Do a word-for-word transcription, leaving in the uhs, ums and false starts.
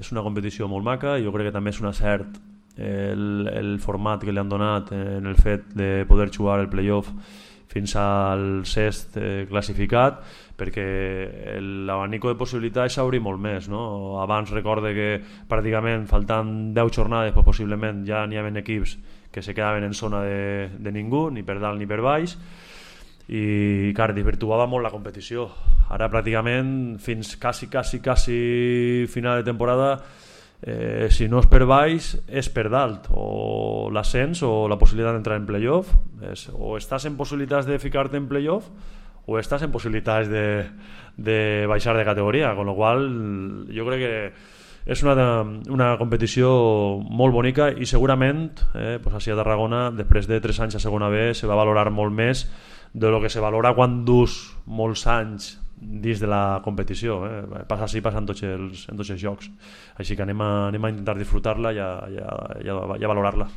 és una competició molt maca i jo crec que també és un acert el, el format que li han donat en el fet de poder jugar el playoff fins al sexto eh, classificat, perquè l'abanico de possibilitats s'obri molt més, no? Abans recorde que pràcticament faltant deu jornades pues, possiblement ja n'hi havia equips que se quedaven en zona de, de ningú, ni per dalt ni per baix, i clar, desvirtuava molt la competició. Ara pràcticament fins quasi, quasi, quasi final de temporada, eh, si no és per baix és per dalt, o l'ascens o la possibilitat d'entrar en playoff, és, o estàs en possibilitats de ficar-te en playoff o estàs en possibilitats de, de baixar de categoria, con lo qual jo crec que és una, una competició molt bonica i segurament eh, pues així a Tarragona després de tres anys a segona B se va valorar molt més de lo que se valora quan dus molts anys dins de la competició, eh? Passa així, passa en tots els, en tots els jocs, així que anem a, anem a intentar disfrutar-la i a, i a, i a, i a valorar-la.